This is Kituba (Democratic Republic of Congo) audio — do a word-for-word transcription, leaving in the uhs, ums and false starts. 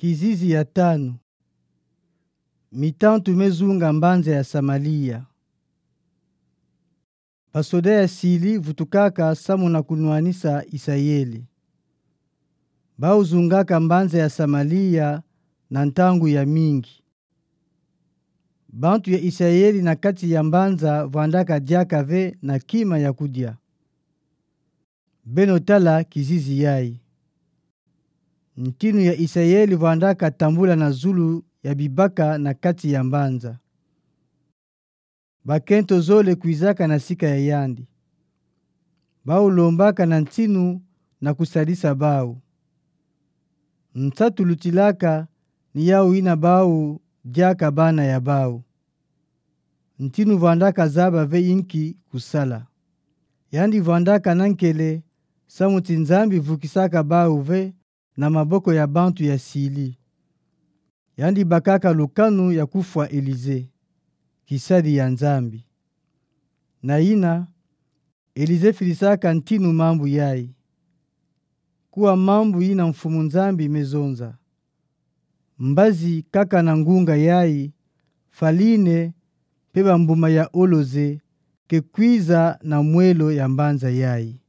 Kizizi ya tanu. Mitantu mezunga mbanza ya Samalia. Basoda ya Sili vutukaka samu na kunwanisa Isayeli. Bau zungaka mbanza ya Samalia na ntangu ya mingi. Bantu ya Isayeli na kati ya mbanza vwandaka diaka ve na kima ya kudia. Beno tala kizizi yayi. Ntinu ya Isayeli vwandaka tambula na zulu ya bibaka na kati ya mbanza. Bakento zole kwizaka na sika ya yandi. Bau lombaka na ntinu na kusadisa bau. Nsatu lutilaka ni yau yina bau diaka bana ya bau. Ntinu vwandaka zaba ve inki kusala. Yandi vwandaka na nkele, samu ti Nzambi vukisaka bau ve na maboko ya bantu ya Sili. Yandi bakaka lukanu ya kufwa Elize, kisadi ya Nzambi. Na yina, Elize filisaka ntinu mambu yayi. Kuwa mambu yina Mfumu Nzambi mezonza. Mbazi kaka na ngunga yayi, faline, mpe bambuma ya oloze, ke kwiza na mwelo ya mbanza yayi.